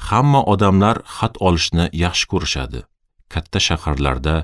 Hamma odamlar xat olishni yaxshi ko'rishadi. Katta shaharlarda,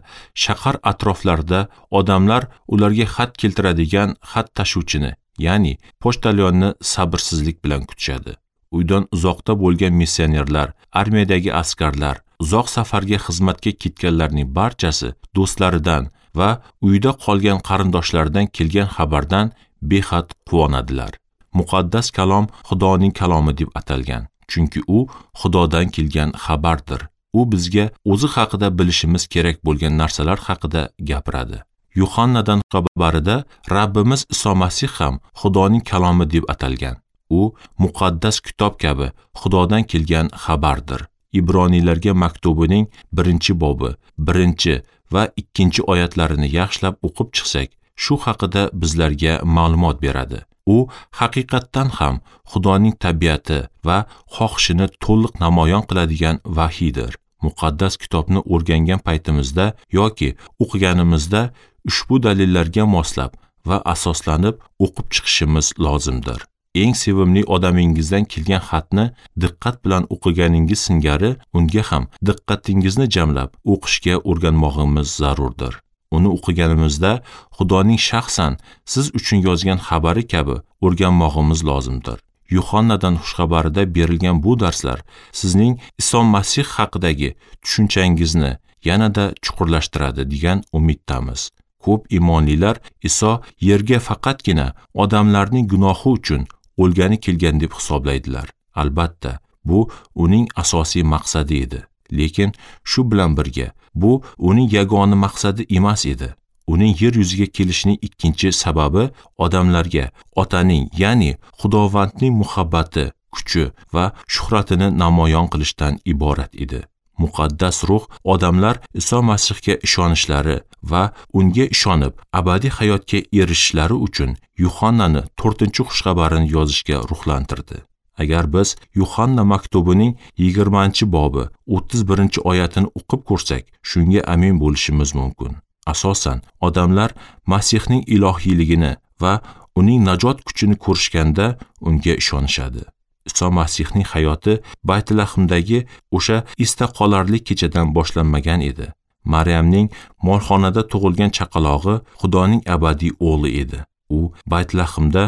shahar atroflarida odamlar ularga xat keltiradigan xat tashuvchini, ya'ni pochtalyonni sabrsizlik bilan kutishadi. Uydan uzoqda bo'lgan missionerlar, armiyadagi askarlar, uzoq safarga xizmatga ketganlarning barchasi do'stlaridan va uyda qolgan qarindoshlaridan kelgan xabardan behad quvonadilar. Muqaddas kalom Xudoning kalomi deb atalgan, chunki u Xudodan kelgan xabardir. U bizga o'zi haqida bilishimiz kerak bo'lgan narsalar haqida gapiradi. Yuhannadan xabarida Rabbimiz Iso Masih ham Xudoning kalomi deb atalgan. U muqaddas kitob kabi Xudodan kelgan xabardir. Ibroniylarga maktubining 1-bobi, 1 va 2 oyatlarini yaxshilab o'qib chiqsak, shu haqida bizlarga ma'lumot beradi. U haqiqatdan ham Xudoning tabiati va xohishini to'liq namoyon qiladigan vahiydir. Muqaddas kitobni o'rgangan paytimizda yoki o'qiganimizda ushbu dalillarga moslab va asoslanib o'qib chiqishimiz lozimdir. Eng sevimli odamingizdan kelgan xatni diqqat bilan o'qiganingiz singari unga ham diqqatingizni jamlab o'qishga o'rganmog'imiz zarurdir. Uni o'qiganimizda Xudoning shaxsan siz uchun yozgan xabari kabi o'rganmog'imiz lozimdir. Yuhannadan xushxabarida berilgan bu darslar sizning Iso Masih haqidagi tushunchangizni yanada chuqurlashtiradi degan umiddamiz. Ko'p imonlilar Iso yerga faqatgina odamlarning gunohi uchun o'lgani kelgan deb hisoblaydilar. Albatta, bu uning asosiy maqsadi edi. Lekin shu bilan birga bu uning yagona maqsadi emas edi. Uning yer yuziga kelishining ikkinchi sababi odamlarga Otaning, ya'ni Xudovandning muhabbati, kuchi va shuhratini namoyon qilishdan iborat edi. Muqaddas ruh odamlar Iso Masihga ishonishlari va unga ishonib abadiy hayotga erishishlari uchun Yuhannani 4-xushxabarini yozishga ruhlantirdi. Agar biz Yuhanna maktubining 20-bobi 31-oyatini o'qib ko'rsak, shunga amin bo'lishimiz mumkin. Asosan, odamlar Masihning ilohiyligini va uning najot kuchini ko'rishganda unga ishonishadi. Iso Masihning hayoti Baytlahmdagi o'sha esda qolarli kechadan boshlanmagan edi. Maryamning molxonada tug'ilgan chaqalog'i Xudoning abadiy o'g'li edi. U Baytlahmda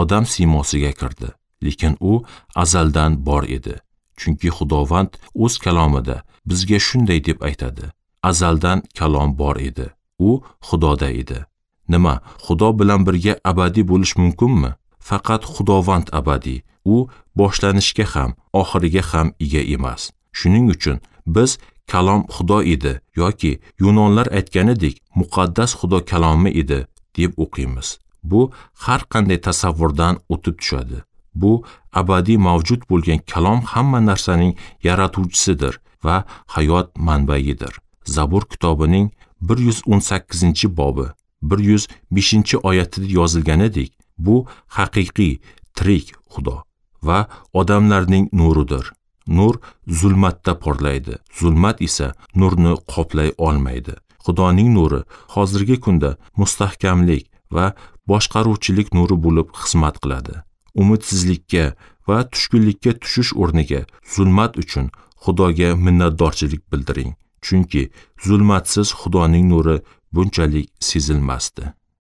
odam siymosiga kirdi, lekin u azaldan bor edi. Chunki Xudovand o'z kalomida bizga shunday deb aytadi: azaldan kalom bor edi. U Xudoda edi. Nima, Xudo bilan birga abadiy bo'lish mumkinmi? Faqat Xudovand abadiy. U boshlanishga ham, oxiriga ham ega emas. Shuning uchun biz kalom Xudo edi yoki yunonlar aytganidek muqaddas Xudo kalomi edi deb o'qiymiz. Bu har qanday tasavvurdan o'tib tushadi. Bu abadiy mavjud bo'lgan kalom hamma narsaning yaratuvchisidir va hayot manbaidir. Zabur kitobining 118-bobi 105-oyatida yozilganidek, bu haqiqiy tirik Xudo va odamlarning nuridir. Nur zulmatda porlaydi, zulmat esa nurni qoplay olmaydi. Xudoning nuri hozirgi kunda mustahkamlik va boshqaruvchilik nuri bo'lib xizmat qiladi. Umidsizlikka va tushkunlikka tushish o'rniga zulmat uchun Xudoga minnatdorchilik bildiring. Chunki zulmatsiz Xudoning nuri bunchalik sezilmasdi.